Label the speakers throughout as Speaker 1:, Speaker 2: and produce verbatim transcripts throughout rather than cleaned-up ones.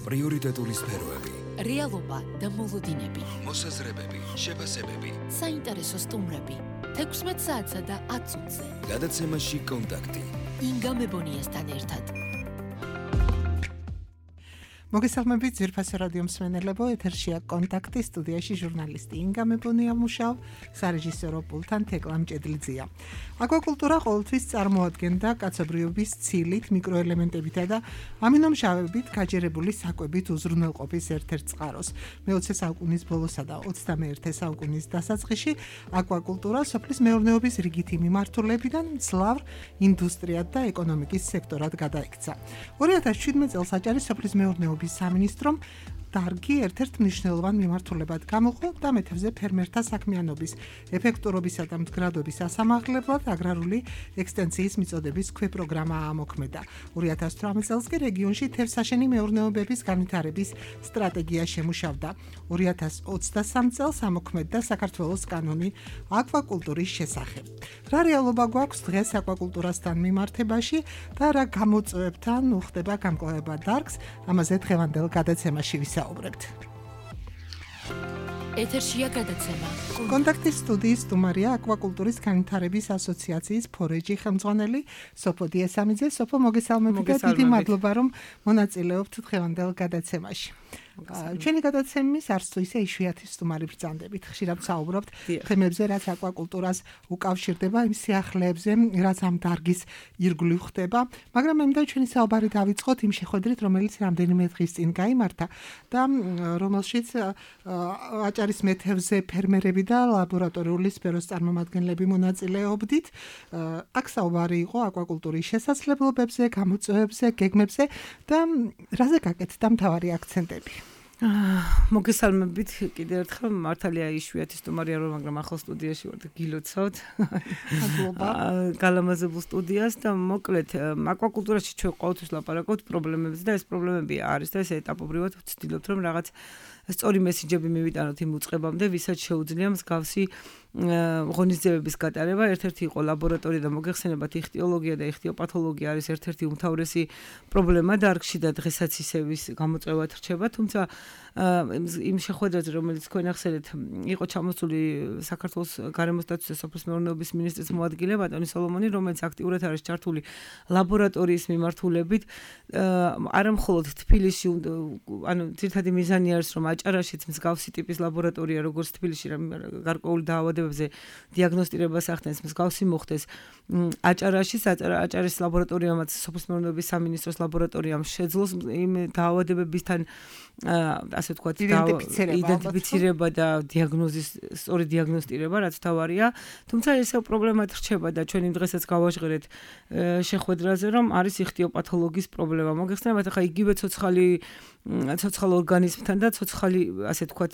Speaker 1: პრიორიტეტული სფეროები,
Speaker 2: რეალობა და მოლოდინები,
Speaker 1: მოსაზრებები, შეფასებები,
Speaker 2: საინტერესო სტუმრები, თექვსმეტ საათსა და ათ წუთზე.
Speaker 1: გადაცემაში კონტაქტი.
Speaker 2: ინგა მებონიასთან ერთად.
Speaker 3: მოგესალმებით ძვირფასო რადიო მსმენელებო, ეთერშია კონტაქტი, სტუდიაში ჟურნალისტი ინგა მებონია მუშაობ, სარეჟისორო პულტთან თეკლა მჭედლიძეა. აკვაკულტურა ყოველთვის წარმოადგენდა კაცობრიობის ცილით, მიკროელემენტებითა და ამინომჟავებით გაჯერებული საკვებით უზრუნველყოფის ერთ-ერთ წყაროს. მეოცე საუკუნის ბოლოსა და ოცდამეერთე საუკუნის დასაწყისში აკვაკულტურა სოფლის მეურნეობის რიგითი მიმართულებიდან მძლავრ ინდუსტრიად და ეკონომიკის სექტორად გადაიქცა. ორი ათას შვიდმეტ წელს აჭარის სოფლის მეურნეობის სამინისტრომ დარგი ერთ-ერთ მნიშვნელოვან მიმართულებად გამოყო და მეთევზე ფერმერთა საქმიანობის ეფექტურობისა და მდგრადობის ასამაღლებლად აგრარული ექსტენსიის მიწოდების ქვეპროგრამა ამოქმედა. ორი ათას ოცდაოთხ წელს კი რეგიონში თევზსაშენი მეურნეობების განვითარების სტრატეგია შემუშავდა. ორი ათას ოცდასამ წელს ამოქმედდა საქართველოს კანონი აკვაკულტურის შესახებ. რა რეალობა გვაქვს დღეს აკვაკულტურასთან მიმართებაში და რა გამოწვევებთან უხდება გამკლავება დარგს, ამაზე დღევანდელ გადაცემაში ვისაუბრებთ.
Speaker 2: ეთერშია გადაცემა.
Speaker 3: კონტაქტის სტუდიის სტუმარია აკვაკულტურის განვითარების ასოციაციის ფორეჯი ხელმძღვანელი სოფო დიესამიძე. სოფო, მოგესალმებით და დიდი მადლობა რომ მონაწილეობთ დღევანდელ გადაცემაში. ჩვენი გადაცემის არც თუ ისე იშვიათი სტუმარი ბრძანდებით. ხშირად ვსაუბრობთ თემებზე, რაც აკვაკულტურას უკავშირდება, იმ სიახლეებზე, რაც ამ დარგის ირგვლივ ხდება, მაგრამ მე მინდა ჩვენი საუბარი დავიწყოთ იმ შეხვედრით, რომელიც რამდენიმე დღის წინ გაიმართა და რომელშიც აჭარის მეთევზე ფერმერები და ლაბორატორიული სფეროს წარმომადგენლები მონაწილეობდით. აქ საუბარი იყო აკვაკულტურის შესაძლებლობებზე, გამოწვევებზე, გეგმებზე და რაზე გაკეთდა მთავარი აქცენტები.
Speaker 4: მოგესალმებით კიდევ ერთხელ, მართალია იშვიათი სტუმარია რომ, მაგრამ ახალ სტუდიაში ვარ და გილოცავთ.
Speaker 3: მადლობა.
Speaker 4: გალამაზებულ სტუდიას და მოკლედ აკვაკულტურაში ჩვენ ყოველთვის ლაპარაკობთ პრობლემებზე და ეს პრობლემები არის და ეს ეტაპობრივად ვცდილობთ რომ რაღაც სწორი მესიჯები მივიტანოთ იმ უწყებამდე, ვისაც შეუძლია მსგავსი ღონისძიებების გატარება. ერთ-ერთი იყო ლაბორატორია და მოგეხსენებათ, იხტიოლოგია და იხტიოპათოლოგია არის ერთ-ერთი უმთავრესი პრობლემა დარგში და დღესაც ისევის გამოწვევად რჩება, თუმცა იმ შეხვედრაზე, რომელიც თქვენ ახსენეთ, იყო ჩამოსული საქართველოს გარემოს დაცვის და სოფლის მეურნეობის მინისტრის მოადგილე ბატონი სოლომონი, რომელიც აქტიურად არის ჩართული ლაბორატორიის მიმართულებით. არა მხოლოდ თბილისში, ანუ ძირითადი მიზანი არის, რომ აჭარაშიც მსგავსი ტიპის ლაბორატორია, როგორც თბილისში, გარკვეული დაავადებებზე დიაგნოსტირებას ახდენს, მსგავსი მოხდეს აჭარაშიც. აჭარის ლაბორატორიამაც სოფლის მეურნეობის სამინისტროს ლაბორატორიამ შეძლოს იმ დაავადებებისთან ასე ვთქვათ, იდენტიფიცირება და დიაგნოზის სწორი დიაგნოსტირება, რაც თავარია. თუმცა ესე პრობლემად რჩება და ჩვენ იმ დღესაც გავაჟღერეთ შეხვედრაზე, რომ არის იხტიოპათოლოგიის პრობლემა. მოგეხსენებათ, ახლა იგივე ცოცხალი ცოცხალ ორგანიზმთან და ცოცხალი, ასე ვთქვათ,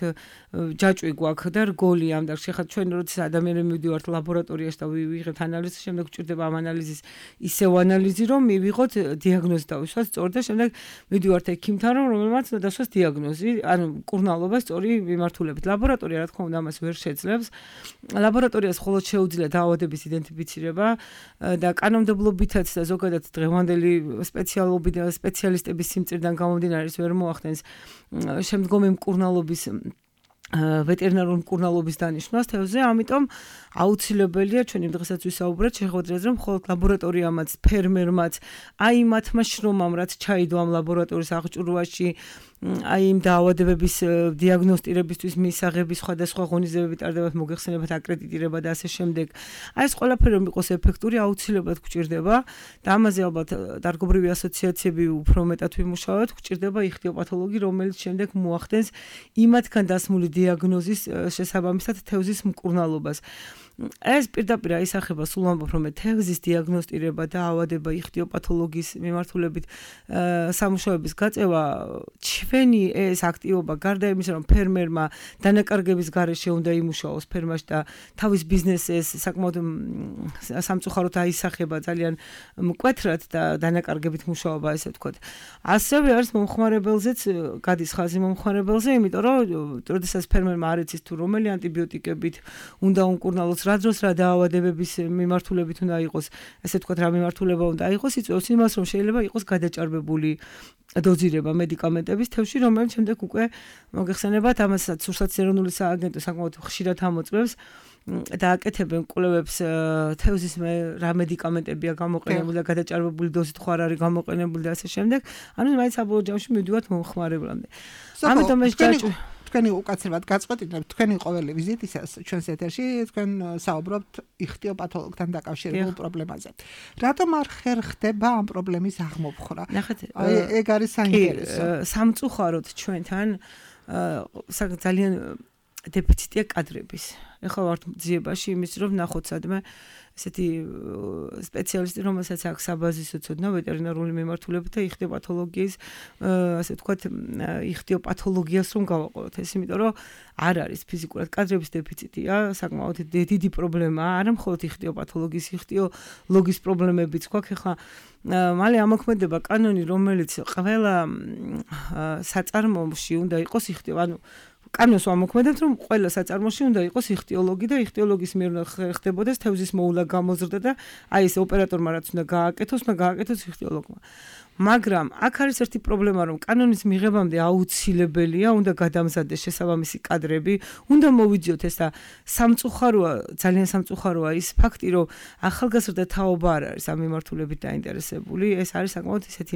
Speaker 4: ჯაჭვი გვაქვს და რგოლი ამ დარგში. ახლა ჩვენ როდესაც ადამიანები მივდივართ ლაბორატორიაში და ვიღებთ ანალიზს, შემდეგ გვჭირდება ამ ანალიზის ისევ ანალიზი, რომ მივიღოთ დიაგნოზი დავისვათ სწორ და შემდეგ მივდივართ ექიმთან, რომელმაც დასვას დიაგნოზი, ანუ მკურნალობა სწორი მიმართულებით. ლაბორატორია, რა თქმა უნდა, ამას ვერ შეძლებს. ლაბორატორიას მხოლოდ შეუძლია დაავადების იდენტიფიცირება და კანონმდებლობითაც და ზოგადად დღევანდელი სპეციალობით და სპეციალისტების სიმწირიდან გამომდინარე ვერ მოახდენს შემდგომი მკურნალობის ვეტერინარული მკურნალობის დანიშვნას თევზზე, ამიტომ აუცილებელია ჩვენ იმ დღესაც ვისაუბრეთ შეხვედრაზე, რომ მხოლოდ ლაბორატორიამაც, ფერმერმაც, აი მათმა შრომამ, რაც ჩაიდო ამ ლაბორატორიის აღჭურვაში, აი იმ დაავადებების დიაგნოსტირებისთვის მისაღები სხვადასხვა ღონისძიებები ტარდებათ, მოგეხსენებათ აკრედიტირება და ასე შემდეგ. აი ეს ყველაფერი რომ იყოს ეფექტური, აუცილებლად გვჭირდება და ამაზე ალბათ დარგობრივი ასოციაციები უფრო მეტად ვიმუშავებთ, გვჭირდება იხტიოპათოლოგი, რომელიც შემდეგ მოახდენს იმათგან დასმული დიაგნოზის შესაბამისად თევზის მკურნალობას. ეს პირდაპირ აისახება სულ ამბობ რომ თევზის დიაგნოსტირება და ავადება იხტიოპათოლოგიის მიმართულებით სამუშაოების გაწევა ჩვენი ეს აქტივობა გარდა იმისა რომ ფერმერმა დანაკარგების გარეშე უნდა იმუშაოს ფერმაში და თავის ბიზნესს საკმაოდ სამწუხაროდ აისახება ძალიან მკვეთრად და დანაკარგებით მუშაობა ესე ვთქვათ ასევე არის მომხმარებელზეც გადის ხაზი მომხმარებელზე იმიტომ რომ როდესაც ფერმერმა არ იცის თუ რომელი ანტიბიოტიკებით უნდა უმკურნალოს იწვევს რა დროს რა დაავადებების მიმართულებით უნდა იყოს, ესე ვთქვათ, რა მიმართულება უნდა იყოს, იწვევს იმას, რომ შეიძლება იყოს გადაჭარბებული დოზირება მედიკამენტების თევზში, რომელიც შემდეგ უკვე მოგეხსენებათ, ამასაც სურსათის ეროვნული სააგენტო საკმაოდ ხშირად ამოწმებს და აკეთებენ კვლევებს თევზის რა მედიკამენტებია გამოყენებული და გადაჭარბებული დოზით ხო არ არის გამოყენებული და ასე შემდეგ. ანუ მაინც საბოლოო ჯამში მივდივართ მომხმარებლამდე. ამიტომ ეს ჯაჭვი
Speaker 3: თქვენი უკაცრავად გაწყვეტინებთ თქვენი ყოველი ვიზიტისას ჩვენს ეთერში თქვენ საუბრობთ იხტიოპათოლოგთან დაკავშირებულ პრობლემაზე. რატომ არ ხერხდება ამ პრობლემის აღმოფხვრა?
Speaker 4: ნახეთ,
Speaker 3: ეგ არის საინტერესო.
Speaker 4: სამწუხაროდ ჩვენთან ძალიან დეფიციტია კადრების. ეხლა ვართ ძიებაში იმის რომ ვნახოთ სადმე ესეთი სპეციალისტი რომელსაც აქვს საბაზისო ცოდნა ვეტერინარული მიმართულებით და იხტიოპათოლოგიის ასე ვთქვათ იხტიოპათოლოგიას რომ გავაყოლოთ ეს იმიტომ რომ არ არის ფიზიკურად კადრების დეფიციტია საკმაოდ დიდი პრობლემაა არა მხოლოდ იხტიოპათოლოგიის იხტიოლოგის პრობლემებიც გვაქვს ეხლა მალე ამოქმედება კანონი რომელიც ყველა საწარმოში უნდა იყოს იხტიო ანუ კანონს ვამოქმედებთ რომ ყველა საწარმოში უნდა იყოს იხტიოლოგი და იხტიოლოგის მიერ ხდებოდეს თევზის მოულა გამოზრდა და აი ეს ოპერატორმა რაც უნდა გააკეთოს უნდა გააკეთოს იხტიოლოგმა მაგრამ აქ არის ერთი პრობლემა რომ კანონის მიღებამდე აუცილებელია უნდა გადამზადდეს შესაბამისი კადრები უნდა მოვიძიოთ ეს და სამწუხაროა ძალიან სამწუხაროა ის ფაქტი რომ ახალგაზრდა თაობა არ არის ამ მიმართულებით დაინტერესებული ეს არის საკმაოდ ისეთი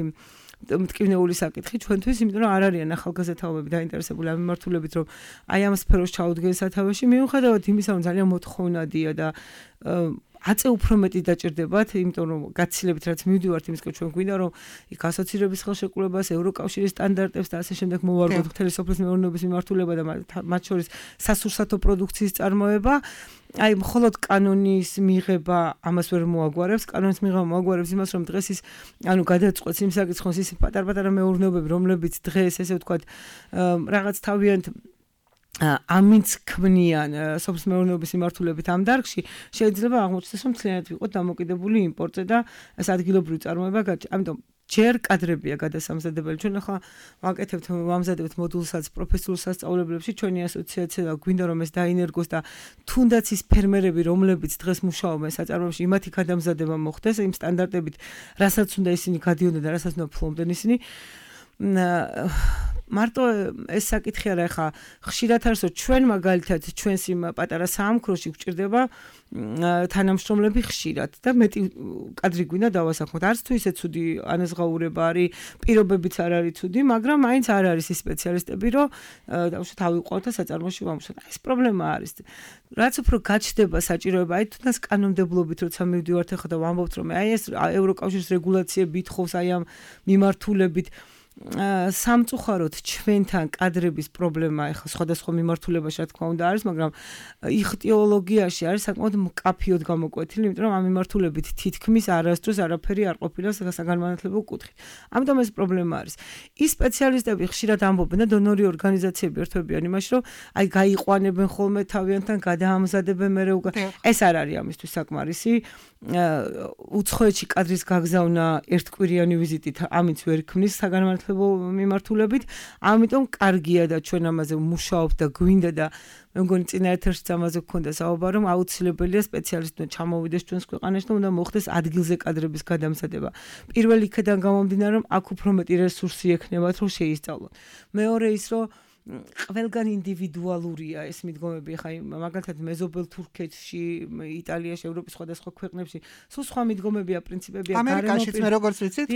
Speaker 4: მტკივნეული საკითხი ჩვენთვის, იმიტომ რომ არ არიან ახალგაზრდა თაობები დაინტერესებული ამ მიმართულებით, რომ აი ამ სფეროს ჩაუდგენ სათავეში, მიუხედავად იმისა, რომ ძალიან მოთხოვნადია და აწე უფრო მეტი დაჭირდებათ, იმიტომ რომ გაცილებით რაც მივდივართ იმისკენ ჩვენ გვინდა რომ იქ ასოცირების ხელშეკრულებას, ევროკავშირის სტანდარტებს და ასე შემდეგ მოვარგოთ მთელი სოფლის მეურნეობის მიმართულება და მათ შორის სასურსათო პროდუქციის წარმოება აი მხოლოდ კანონის მიღება ამას ვერ მოაგვარებს, კანონის მიღება მოაგვარებს იმას, რომ დღეს ის ანუ გადაწყვეტს იმ საკითხს, ის პატარ-პატარა მეურნეობები, რომლებიც დღეს ესე ვთქვათ, რაღაც თავიანთ ამინც ქმნიან სოფლის მეურნეობის მიმართულებით ამ დარგში, შეიძლება აღმოჩნდეს, რომ მთლიანად ვიყოთ დამოკიდებული იმპორტზე და ეს ადგილობრივი წარმოება, ამიტომ ჯერ კადრებია გადასამზადებელი. ჩვენ ახლა ვაკეთებთ, ვამზადებთ მოდულსაც პროფესიულ სასწავლებლებში, ჩვენი ასოციაცია გვინდა რომ ეს დაინერგოს და თუნდაც ის ფერმერები, რომლებიც დღეს მუშაობენ საწარმოებში, იმათი გადამზადება მოხდეს იმ სტანდარტებით, რასაც უნდა ისინი გადიოდნენ და რასაც უნდა ფლობდნენ ისინი. მარტო ეს საკითხი არა ხა ხშირად არის რომ ჩვენ მაგალითად ჩვენს იმ პატარა საამქროში გვჭირდება თანამშრომლები ხშირად და მეტი კადრი გვინდა დავასახმოთ არც თუ ისე ცუდი ანაზღაურება არის პირობებიც არ არის ცუდი მაგრამ მაინც არ არის ის სპეციალისტები რომ დავუშვათ ავიყვანოთ და საწარმოში ვამუშავოთ ეს პრობლემა არის რაც უფრო გაჩნდება საჭიროება აი თუნდაც კანონმდებლობით როცა მივდივართ ახლა და ვამბობთ რომ აი ეს ევროკავშირის რეგულაციები ითხოვს აი ამ მიმართულებით სამწუხაროდ ჩვენთან კადრების პრობლემა ახლა სხვადასხვა მიმართულებაში რა თქმა უნდა არის, მაგრამ იხტიოლოგიაში არის საკმაოდ მკაფიოდ გამოკვეთილი, იმიტომ რომ ამ მიმართულებით თითქმის არასდროს არაფერი არ ყოფილა საგანმანათლებლო კუთხით. ამიტომ ეს პრობლემა არის. ის სპეციალისტები ხშირად ამბობენ და დონორი ორგანიზაციები ერთვებიან იმაში, რომ აი გაიყვანებენ ხოლმე თავიანთან, გადაამზადებენ მერე უკვე ეს არ არის ამისთვის საკმარისი. უცხოეთში კადრის გაგზავნა ერთკვირიანი ვიზიტით ამიც ვერ ქმნის საგანმანათლებლო მიმართულებით, ამიტომ კარგია და ჩვენ ამაზე ვმუშაობთ და გვინდა და მე მგონი წინა ეთერშიც ამაზე გქონდა საუბარი, რომ აუცილებელია სპეციალისტი ჩამოვიდეს ჩვენს ქვეყანაში და უნდა მოხდეს ადგილზე კადრების გადამზადება. პირველ იქიდან გამომდინარე, რომ აქ უფრო მეტი რესურსი ექნებათ, რომ შეისწავლონ. მეორე ის, რომ ყველგან ინდივიდუალურია ეს მიდგომები, ხა მაგალითად მეზობელ თურქეთში, იტალიაში, ევროპის სხვადასხვა ქვეყნებში, სულ სხვა მიდგომებია, პრინციპებია,
Speaker 3: ამერიკაშიც მე როგორც ვიცით,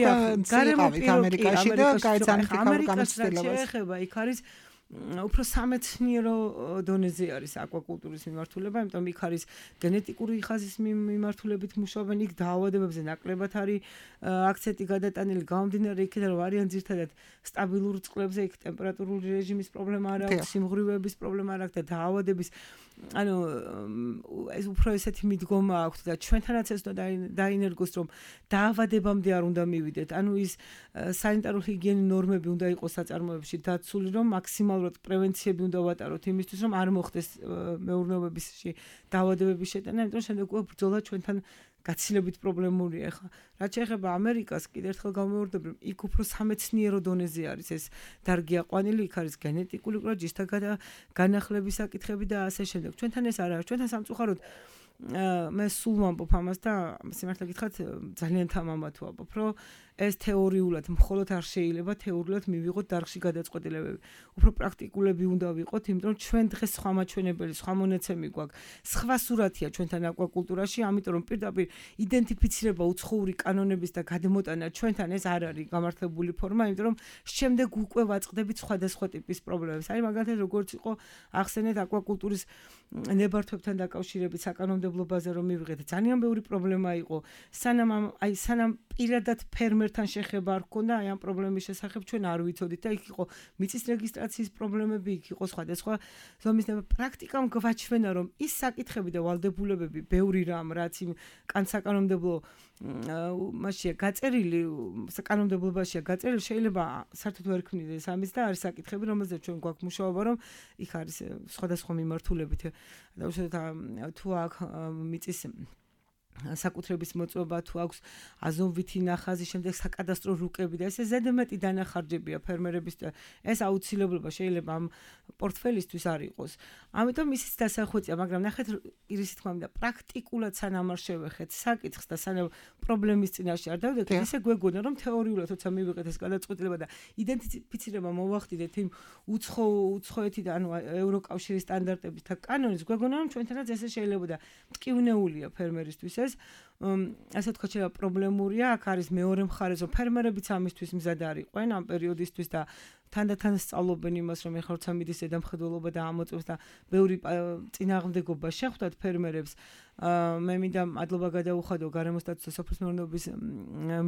Speaker 3: გარემოყავით ამერიკაში და გაიცანით იქ გამოცდილებას.
Speaker 4: ეხება, იქ არის უფრო სამეცნიერო დონეზე არის აკვაკულტურის მიმართულება, იმიტომ იქ არის გენეტიკური ხაზის მიმართულებით მუშაობენ, იქ დაავადებებზე ნაკლებად არის აქცენტი გადატანილი, გამომდინარე იქიდან რომ არიან ძირთადად სტაბილურ წყლებზე, იქ ტემპერატურული რეჟიმის პრობლემა არ აქვს, სიმღვრივების პრობლემა არ აქვს და დაავადების ანუ ეს უფრო ესეთი მიდგომა აქვს და ჩვენთანაც ეს უნდა დაინერგოს რომ დაავადებამდე არ უნდა მივიდეთ. ანუ ის სანიტარული ჰიგიენის ნორმები უნდა იყოს საწარმოებში დაცული, რომ მაქსიმალურად პრევენციები უნდა ვატაროთ იმისთვის, რომ არ მოხდეს მეურნეობებში დაავადებების შეტანა, იმიტომ შემდეგ უკვე ბრძოლა ჩვენთან გაცილებით პრობლემურია ახლა. რაც შეეხება ამერიკას, კიდევ ერთხელ გამოვარდები, რომ იქ უფრო სამეცნიერო დონეზე არის ეს დარგი აყვანილი, იქ არის გენეტიკული კვლევა, ჯიშთა განახლების საკითხები და ასე შემდეგ. ჩვენთან ეს არ არის. ჩვენთან სამწუხაროდ მე სულ ვამბობ ამას და სიმართლე გითხრათ ძალიან თამამად ვამბობ, რომ ეს თეორიულად მხოლოდ არ შეიძლება თეორიულად მივიღოთ დარგში გადაწყვეტილებები. უფრო პრაქტიკულები უნდა ვიყოთ, იმიტომ რომ ჩვენ დღეს სხვა მაჩვენებელი, სხვა მონაცემი გვაქვს. სხვა სურათია ჩვენთან აკვაკულტურაში, ამიტომ რომ პირდაპირ იდენტიფიცირება უცხოური კანონების და გადმოტანა ჩვენთან ეს არ არის გამართლებული ფორმა, იმიტომ რომ შემდეგ უკვე ვაწყდებით სხვადასხვა ტიპის პრობლემებს. აი მაგალითად როგორც იყო ახსენეთ აკვაკულტურის ნებართვებთან დაკავშირებით საკანონმდებლო ბაზა რომ მივიღეთ, ძალიან ბევრი პრობლემა იყო. სანამ აი სანამ პირადად ფერმერთან შეხება არ ქონდა აი ამ პრობლემის შესახებ ჩვენ არ ვიცოდით და იქ იყო მიწის რეგისტრაციის პრობლემები, იქ იყო სხვადასხვა ზომის პრაქტიკამ გვაჩვენა რომ ის საკითხები და ვალდებულებები ბევრი რამ რაც იმ კანონმდებლო მასშია გაწერილი საკანონმდებლობაშია გაწერილი შეიძლება საერთოდ ვერ ქმნიდეს ამის და არის საკითხები რომელზეც ჩვენ გვაქვს მუშაობა რომ იქ არის სხვადასხვა მიმართულებით და უშუალოდ თუ აქ მიწის საკუთრების მოწმობა თუ აქვს აზოვითი ნახაზი, შემდეგ საკადასტრო რუკები და ესე ზედმეტი დანახარჯებია ფერმერების და ეს აუცილებლობა შეიძლება ამ პორტფელისთვის არ იყოს. ამიტომ ისიც დასახვეწია, მაგრამ ნახეთ ირისი თქმა უნდა პრაქტიკულად სანამ არ შევეხეთ საკითხს და სანამ პრობლემის წინაშე არ დავდექით, ისე გვეგონა რომ თეორიულად როცა მივიღეთ ეს გადაწყვეტილება და იდენტიფიცირება მოვახდინეთ იმ უცხო უცხოეთი და ანუ ევროკავშირის სტანდარტების და კანონის, გვეგონა რომ ჩვენთანაც ესე შეიძლება და მტკივნეულია ფერმერისთვის ეს ასე თქვა შეიძლება პრობლემურია, აქ არის მეორე მხარე, რომ ფერმერებიც ამისთვის მზად არ იყვენ ამ პერიოდისთვის და თანდათან სწავლობენ იმას, რომ ეხლა როცა მიდის ზედამხედველობა და ამოწევს და ბევრი წინააღმდეგობა შეხვდათ ფერმერებს. მე მინდა მადლობა გადაუხადო გარემოსტატუსის და სოფლის მეურნეობის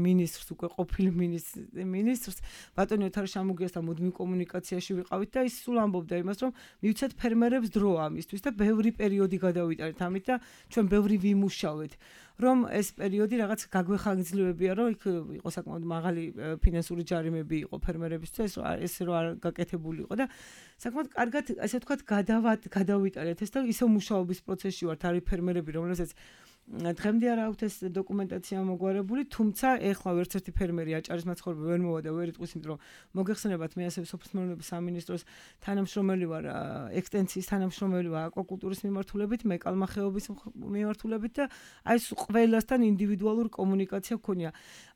Speaker 4: მინისტრს, უკვე ყოფილ მინისტრს, ბატონი ოთარ შამუგიასთან მუდმივ კომუნიკაციაში ვიყავით და ის სულ ამბობდა იმას, რომ მივცეთ ფერმერებს დრო ამისთვის და ბევრი პერიოდი გადავიტანეთ ამით და ჩვენ ბევრი ვიმუშავეთ. რომ ეს პერიოდი რაღაც გაგვეხანგრძლივებია, რომ იქ იყო საკმაოდ მაღალი ფინანსური ჯარიმები იყო ფერმერებისთვის, ეს რო არ გაკეთებული იყო და საკმაოდ კარგად, ასე ვთქვათ, გადავიტანეთ ეს და ისო მუშაობის პროცესში ვართ, არის ფერმერები, რომელსაც დღემდე არ აქვთ ეს დოკუმენტაცია მოგვარებული, თუმცა ეხლა ვერც ერთი ფერმერი აჭარის მაცხოვრებელი ვერ მოვა და ვერ იტყვის, იმიტომ რომ მოგეხსენებათ მე ასევე სოფლის მეურნეობის სამინისტროს თანამშრომელი ვარ, ექსტენციის თანამშრომელი ვარ აკვაკულტურის მიმართულებით, მე კალმახეობის მიმართულებით და აი ეს ყველასთან ინდივიდუალური კომუნიკაცია გქონია.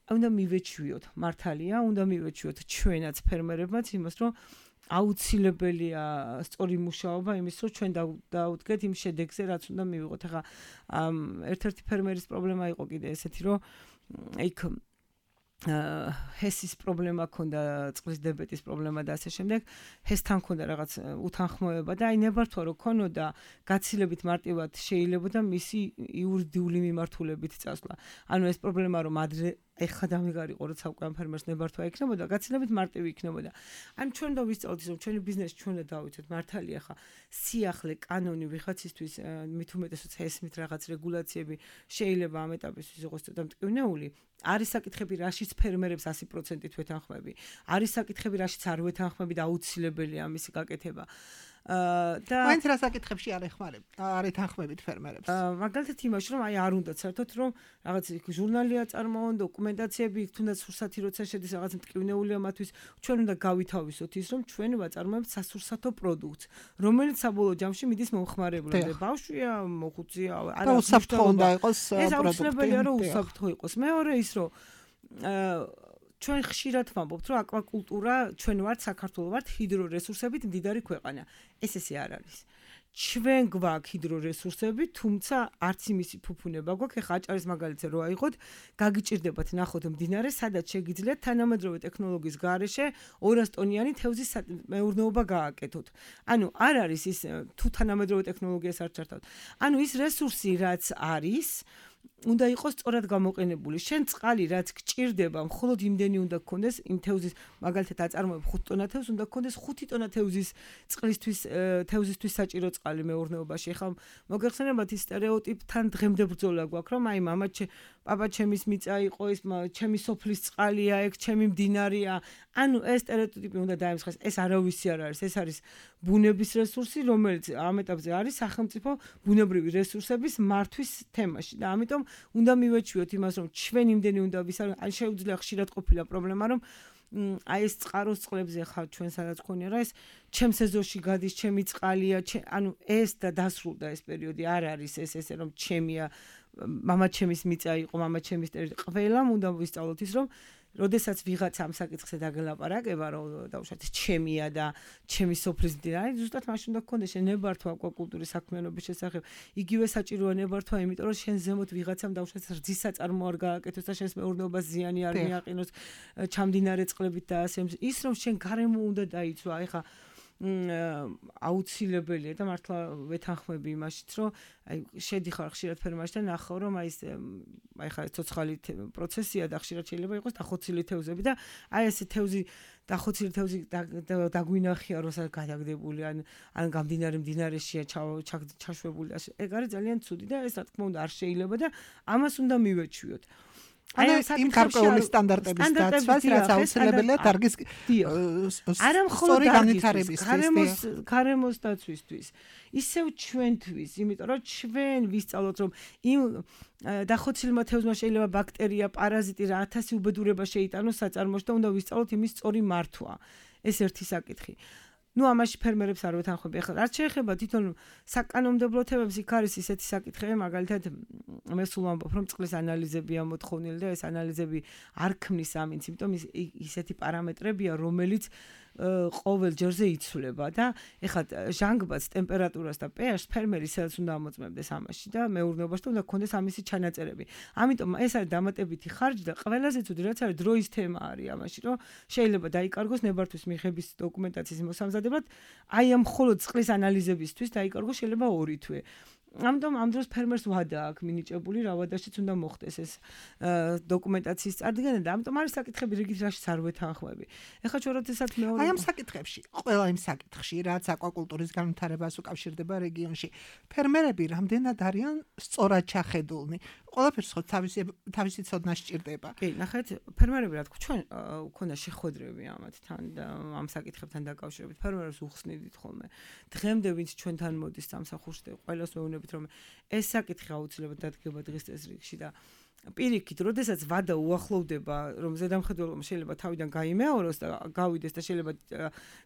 Speaker 4: უნდა მივეჩვიოთ, მართალია, უნდა მივეჩვიოთ ჩვენაც ფერმერებმაც იმას, რომ აუცილებელია სწორი მუშაობა იმის რომ ჩვენ დავუდგეთ იმ შედეგზე რაც უნდა მივიღოთ. ახლა ერთ-ერთი ფერმერის პრობლემა იყო კიდე ესეთი რომ იქ ჰესის პრობლემა ქონდა, წყლის დებეტის პრობლემა და ასე შემდეგ. ჰესთან ქონდა რაღაც უთანხმოება და აი ნებართვა რო ქონოდა გაცილებით მარტივად შეიძლებოდა მისი იურიდიული მიმართულებით წასვლა. ანუ ეს პრობლემა რომ ადრე ეხლა დამიგარიყო როცა უკვე ამ ფერმერს ნებართვა იქნებოდა, გაცილებით მარტივი იქნებოდა. ან ჩვენ და ვისწავლეთ რომ ჩვენი ბიზნესი ჩვენ და დავიცოთ მართალია ხა სიახლე კანონი ვიღაცისთვის მით უმეტესად ესმით რაღაც რეგულაციები შეიძლება ამ ეტაპისთვის იყოს ცოტა მტკივნეული. არის საკითხები რაშიც ფერმერებს ასი პროცენტით ვეთანხმები. არის საკითხები რაშიც არ ვეთანხმები და აუცილებელია ამისი გაკეთება. და
Speaker 3: მაინც რა საკითხებში არ ეხმარებ არ ეთანხმებით ფერმერებს
Speaker 4: მაგალითად იმაში რომ აი არ უნდა საერთოდ რომ რაღაც ჟურნალია წარმოონ დოკუმენტაციები იქ თუნდაც სურსათი როცა შედის რაღაც მტკივნეულია მათთვის ჩვენ უნდა გავითავისოთ ის რომ ჩვენ ვაწარმოებთ სასურსათო პროდუქტს რომელიც საბოლოო ჯამში მიდის მომხმარებლამდე ბავშვია მოხუცია
Speaker 3: არა უსაფრთხო უნდა იყოს
Speaker 4: პროდუქტი ეს აუცილებელია რომ უსაფრთხო იყოს მეორე ის რომ ჩვენ ხშირად ვამბობთ, რომ აკვაკულტურა ჩვენ ვართ საქართველოს ვართ ჰიდრორესურსებით მდიდარი ქვეყანა. ეს ესე არ არის. ჩვენ გვაქვს ჰიდრორესურსები, თუმცა არც იმისი ფუფუნება გვაქვს. ეხლა აჭარის მაგალითზე რო აიღოთ, გაგიჭირდებათ ნახოთ მდინარე, სადაც შეგიძლიათ თანამედროვე ტექნოლოგიის გარეშე ორას ტონიანი თევზის მეურნეობა გააკეთოთ. ანუ არ არის ის თუ თანამედროვე ტექნოლოგიას არ ჩართავთ. ანუ ის რესურსი რაც არის უნდა იყოს სწორად გამოყენებული. შენ წყალი რაც გჭირდება, მხოლოდ იმდენი უნდა გქონდეს იმ თევზის, მაგალითად აწარმოებ ხუთ ტონა თევზს, უნდა გქონდეს ხუთი ტონა თევზის წყლისთვის, თევზისთვის საჭირო წყალი მეურნეობაში. ეხლა მოგეხსენებათ ის სტერეოტიპთან დღემდე ბრძოლა გვაქვს, რომ აი მამა პაპა ჩემის მიწა იყო, ის ჩემი სოფლის წყალია, ეგ ჩემი მდინარეა. ანუ ეს სტერეოტიპი უნდა დაემსხეს. ეს არავისი არ არის, ეს არის ბუნების რესურსი, რომელიც ამ ეტაპზე არის სახელმწიფო ბუნებრივი რესურსების მართვის თემაში და ამიტომ უნდა მივეჩვიოთ იმას, რომ ჩვენ იმდენი უნდა ვისაუბროთ, ან შეუძლია ხშირად ყოფილა პრობლემა, რომ აი ეს წყაროს წყლებზე ხარ ჩვენ სადაც ხონია რა ეს ჩემს ეზოში გადის ჩემი წყალია ანუ ეს და დასრულდა ეს პერიოდი არ არის ეს ესე რომ ჩემია მამაჩემის მიწა იყო მამაჩემის ტერიტორია ყველამ უნდა ვისწავლოთ ის რომ როდესაც ვიღაც ამ საკითხზე დაგელაპარაკება რომ დაუშვათ ჩემია და ჩემი სოფლის მდინარე ზუსტად მაშინ უნდა გქონდეს შენ ნებართვა აკვაკულტურის საქმიანობის შესახებ იგივე საჭიროა ნებართვა იმიტომ რომ შენ ზემოთ ვიღაცამ დაუშვათ რძის საწარმო არ გააკეთოს და შენს მეურნეობას ზიანი არ მიაყენოს ჩამდინარე წყლებით და ასე ის რომ შენ გარემო უნდა დაიცვა ეხა აუცილებელია და მართლა ვეთანხმები იმაშიც რომ აი შედიხარ ხშირად ფერმაში და ნახავ რომ აი ეს აი ხა ცოცხალი პროცესია და ხშირად შეიძლება იყოს დახოცილი თევზები და აი ესე თევზი დახოცილი თევზი დაგვინახია როცა გადაგდებული ან ან გამდინარე მდინარეშია ჩაშვებული და ეგ არის ძალიან ცუდი და ეს რა თქმა უნდა არ შეიძლება და ამას უნდა მივეჩვიოთ
Speaker 3: ანუ იმ გარკვეული სტანდარტების დაცვას რაც აუცილებელია დარგის
Speaker 4: არა მხოლოდ განვითარებისთვის გარემოს გარემოს დაცვისთვის ისევ ჩვენთვის იმიტომ რომ ჩვენ ვისწავლოთ რომ იმ დახოცილმა თევზმა შეიძლება ბაქტერია პარაზიტი რა ათასი უბედურება შეიტანოს საწარმოში და უნდა ვისწავლოთ იმის სწორი მართვა ეს ერთი საკითხი ну ამაში ფერმერებს არ ვეთანხმები ახლა რაც შეეხება თვითონ საკანონმდებლო თემებს იქ არის ისეთი საკითხები მაგალითად მე სულ ვამბობ რომ წყლის ანალიზებია მოთხოვნილი და ეს ანალიზები არ ქმნის ამინც იმიტომ ისეთი პარამეტრებია რომელიც ყოველ ჯერზე იცვლება და ეხლა ჟანგბადს ტემპერატურას და pH-ს ფერმერი სადაც უნდა ამოწმებდეს ამაში და მეურნეობაში და უნდა გქონდეს ამისი ჩანაწერები. ამიტომ ეს არის დამატებითი ხარჯი და ყველაზე ცუდი რაც არის დროის თემა არის ამაში რომ შეიძლება დაიკარგოს ნებართვის მიღების დოკუმენტაციის მოსამზადებლად აი ამ მხოლოდ წყლის ანალიზებისთვის დაიკარგოს შეიძლება ორი თვე. ამიტომ ამ დროს ფერმერს ვადა აქვს მინიჭებული რა ვადაშიც უნდა მოხდეს ეს დოკუმენტაციის წარდგენა და ამიტომ არის საკითხები რიგით რაშიც არ ვეთანხმები. ეხლა ჩვენ როდესაც მეორე
Speaker 3: აი ამ საკითხებში ყველა იმ საკითხში რაც აკვაკულტურის განვითარებას უკავშირდება რეგიონში ფერმერები რამდენად არიან სწორად ჩახედულნი ყველაფერს ხო თავისი თავისი ცოდნა სჭირდება.
Speaker 4: კი, ნახეთ, ფერმერები რა თქმა ჩვენ ქონდა შეხვედრები ამათთან და ამ საკითხებთან დაკავშირებით ფერმერებს უხსნიდით ხოლმე. დღემდე ვინც ჩვენთან მოდის სამსახურში და ყველას ვეუბნებით რომ ეს საკითხი აუცილებლად დადგება დღის წესრიგში და პირიქით, როდესაც ვადა უახლოვდება, რომ ზედამხედველობა შეიძლება თავიდან გაიმეოროს და გავიდეს და შეიძლება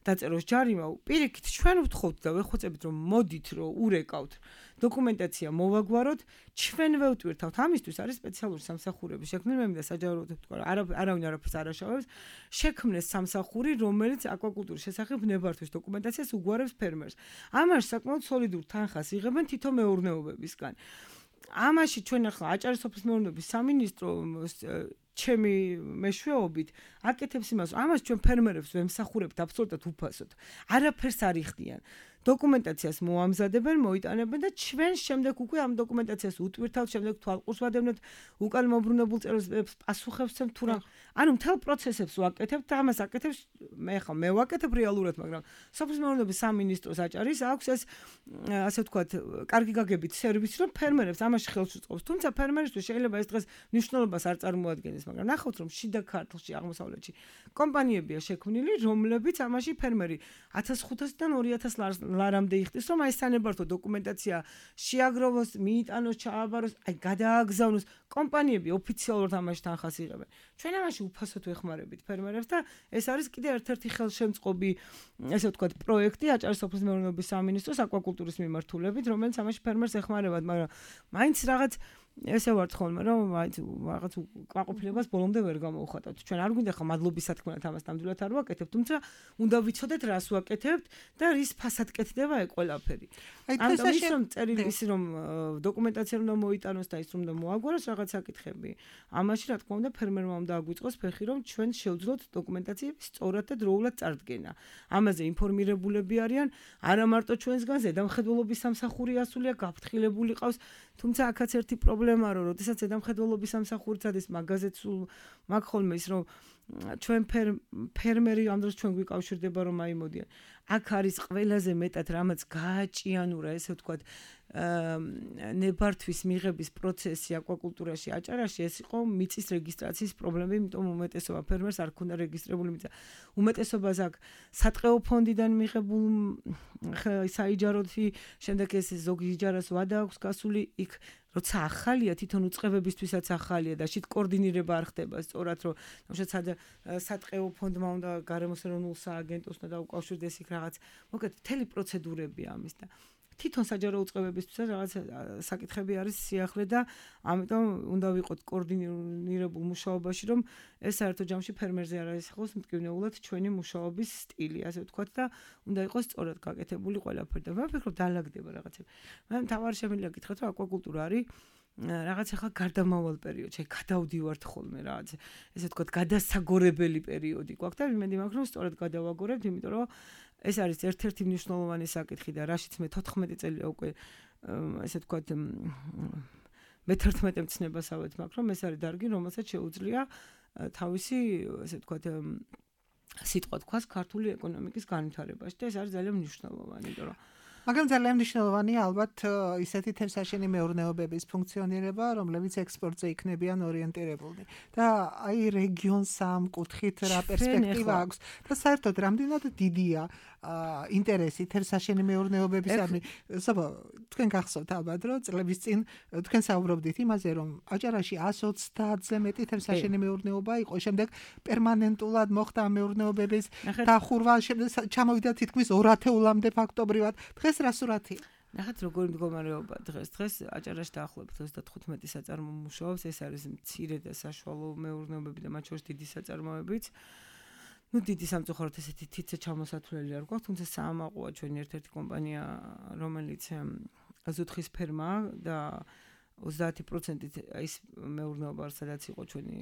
Speaker 4: დაწეროს ჯარიმა, პირიქით ჩვენ ვთხოვთ და ვეხვეწებით რომ მოდით რომ ურეკავთ დოკუმენტაცია მოვაგვაროთ, ჩვენ ვევტვირთავთ. ამისთვის არის სპეციალური სამსახურები შექმნილი, მე მინდა საჯარო თქვა, არავინ არაფერს არ აშავებს, შექმნეს სამსახური, რომელიც აკვაკულტურის შესახებ ნებართვის დოკუმენტაციას უგვარებს ფერმერს. ამაში საკმაოდ სოლიდურ თანხას იღებენ თითო მეურნეობებისგან. ამაში ჩვენ ახლა აჭარის სოფლის მეურნეობის სამინისტრო ჩემი მეშვეობით აკეთებს იმას, ამას ჩვენ ფერმერებს ვემსახურებთ აბსოლუტურად უფასოდ. არაფერს არ იხდიან. დოკუმენტაციას მოამზადებენ, მოიტანებენ და ჩვენ შემდეგ უკვე ამ დოკუმენტაციას უტვირთავთ, შემდეგ თვალყურს ვადევნებთ, უკან მოbrunებულ წერილებს პასუხებს ვცემთ თუ რა. ანუ მთელ პროცესებს ვაკეთებთ და ამას აკეთებს მე ხა მე ვაკეთებ რეალურად, მაგრამ სოფლის მეურნეობის სამინისტროს აჭარის აქვს ეს ასე ვთქვათ, კარგი გაგებით სერვისი, რომ ფერმერებს ამაში ხელს უწყობს. თუმცა ფერმერისთვის შეიძლება ეს დღეს მნიშვნელობას არ წარმოადგენს, მაგრამ ნახავთ რომ შიდა ქართლში, აღმოსავლეთში კომპანიებია შექმნილი, რომლებიც ამაში ფერმერი ათას ხუთასიდან ორი ათას ლარამდე იხდის, რომ აი სანებართო დოკუმენტაცია შეაგროვოს, მიიტანოს, ჩააბაროს, აი გადააგზავნოს. კომპანიები ოფიციალურად ამაში თანხას იღებენ. ჩვენ ამაში უფასოდ ვეხმარებით ფერმერებს და ეს არის კიდევ ერთ-ერთი ხელშემწყობი, ესე ვთქვათ, პროექტი აჭარის სოფლის მეურნეობის სამინისტროს აკვაკულტურის მიმართულებით, რომელიც ამაში ფერმერს ეხმარებათ, მაგრამ მაინც რაღაც ესე ვართ ხოლმე რომ რაღაც კმაყოფილებას ბოლომდე ვერ გამოვხატავთ. ჩვენ არ გვინდა ხა მადლობის სათქმელად ამას ნამდვილად არ ვაკეთებთ, თუმცა უნდა ვიცოდეთ რას ვაკეთებთ და რის ფასად კეთდება ეგ ყველაფერი. ამიტომ ის რომ წერილი ის რომ დოკუმენტაცია უნდა მოიტანოს და ის რომ უნდა მოაგვაროს რაღაც საკითხები. ამაში რა თქმა უნდა ფერმერმა უნდა აგვიწყოს ფეხი რომ ჩვენ შევძლოთ დოკუმენტაციების სწორად და დროულად წარდგენა. ამაზე ინფორმირებულები არიან არა მარტო ჩვენსგან, ზედამხედველობის სამსახური ასულია, გაფრთხილებული ყავს, თუმცა აქაც ერთი პრობლემა რომ როდესაც ზედამხედველობის სამსახურიც არის მაგაზეც მაგ ხოლმე ის რომ ჩვენ ფერმერი ამ დროს ჩვენ გვიკავშირდება რომ აი მოდიან აქ არის ყველაზე მეტად რამაც გააჭიანურა ესე ვთქვათ ნებართვის მიღების პროცესი აკვაკულტურაში აჭარაში ეს იყო მიწის რეგისტრაციის პრობლემები, იმიტომ უმეტესობა ფერმერს არ ქონდა რეგისტრირებული მიწა. უმეტესობას აქ სატყეო ფონდიდან მიღებულ საიჯაროთი, შემდეგ ეს ზოგი იჯარას ვადა აქვს გასული, იქ როცა ახალია თვითონ უწყებებისთვისაც ახალია და შით კოორდინირება არ ხდება სწორად რომ თუმცა სატყეო ფონდმა უნდა გარემოს ეროვნულ სააგენტოს და უკავშირდეს იქ რაღაც მოკლედ მთელი პროცედურები ამის და თვითონ საჯარო უწყებებისთვის რაღაც საკითხები არის სიახლე და ამიტომ უნდა ვიყოთ კოორდინირებულ მუშაობაში, რომ ეს საერთო ჯამში ფერმერზე არ არის ხოს მტკივნეულად ჩვენი მუშაობის სტილი, ასე ვთქვათ და უნდა იყოს სწორად გაკეთებული ყველაფერი და მე ვფიქრობ დაალაგდება რაღაცები. მე მთავარი შემიძლია გითხრათ, რომ აკვაკულტურა არის რაღაც ახლა გარდამავალ პერიოდში, გადავდივართ ხოლმე რაღაც ესე ვთქვათ გადასაგორებელი პერიოდი გვაქვს და იმედი მაქვს რომ სწორად გადავაგორებთ, იმიტომ რომ ეს არის ერთ-ერთი მნიშვნელოვანი საკითხი და რაშიც მე თოთხმეტი წელია უკვე ესე ვთქვათ მეთერთმეტე მცნებასავეთ მაქვს, რომ ეს არის დარგი, რომელსაც შეუძლია თავისი ესე ვთქვათ სიტყვა თქვას ქართული ეკონომიკის განვითარებაში და ეს არის ძალიან მნიშვნელოვანი, იმიტომ რომ
Speaker 3: მაგრამ ძალიან მნიშვნელოვანია ალბათ ისეთი თევზსაშენი მეურნეობების ფუნქციონირება, რომლებიც ექსპორტზე იქნებიან ორიენტირებულნი. და აი რეგიონს ამ კუთხით რა პერსპექტივა აქვს და საერთოდ რამდენად დიდია ინტერესი თევზსაშენი მეურნეობებისადმი. საბა, თქვენ გახსოვთ ალბათ, რომ წლების წინ თქვენ საუბრობდით იმაზე, რომ აჭარაში εκατს ოცდაათზე მეტი თევზსაშენი მეურნეობა იყო, შემდეგ პერმანენტულად მოხდა მეურნეობების დახურვა, ჩამოვიდა თითქმის ორ ათეულამდე ფაქტობრივად. დღეს რა სურათია?
Speaker 4: ნახეთ როგორი მდგომარეობა დღეს. დღეს აჭარაში დაახლოებით ოცდათხუთმეტი საწარმო მუშაობს, ეს არის მცირე და საშუალო მეურნეობები და მათ შორის დიდი საწარმოებიც. ну დიდი სამწუხაროდ ესეთი თითზე ჩამოსათვლელი არ გვაქვს, თუმცა საამაყოა ჩვენი ერთ-ერთი კომპანია, რომელიც ზუთხის ფერმაა და ოცდაათი პროცენტი ის მეურნეობა სადაც იყო ჩვენი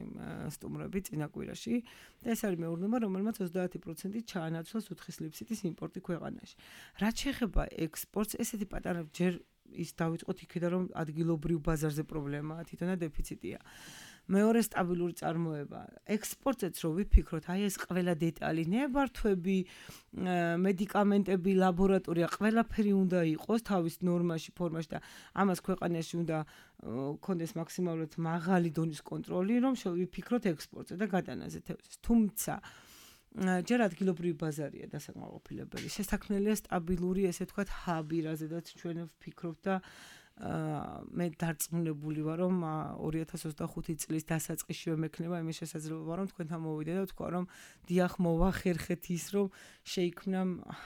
Speaker 4: სტუმრები წინა კვირაში და ეს არის მეურნეობა, რომელმაც ოცდაათი პროცენტი ჩაანაცვლა ზუთხის ლიფციტის იმპორტი ქვეყანაში. რაც შეეხება ექსპორტს, ესეთი პატარა ჯერ ის დავიწყოთ იქიდან, რომ ადგილობრივ ბაზარზე პრობლემაა, თვითონა დეფიციტია. მეორე სტაბილური წარმოება. ექსპორტზეც რო ვიფიქროთ, აი ეს ყველა დეტალი, ნებართვები, მედიკამენტები, ლაბორატორია, ყველაფერი უნდა იყოს თავის ნორმაში, ფორმაში და ამას ქვეყანაში უნდა კონდეს მაქსიმალურად მაღალი დონის კონტროლი, რომ შევიფიქროთ ექსპორტზე და გადანაზე თევზის. თუმცა ჯერ ადგილობრივი ბაზარია დასაკმაყოფილებელი. შესაქმნელია სტაბილური, ესე ვთქვათ, ჰაბი, რაზედაც ჩვენ ვფიქრობთ და მე დარწმუნებული ვარ, რომ ორი ათას ოცდახუთი წლის დასაწყისშივე მექნება იმის შესაძლებლობა, რომ თქვენთან მოვიდე და ვთქვა, რომ დიახ მოვახერხეთ ის, რომ შეიქმნა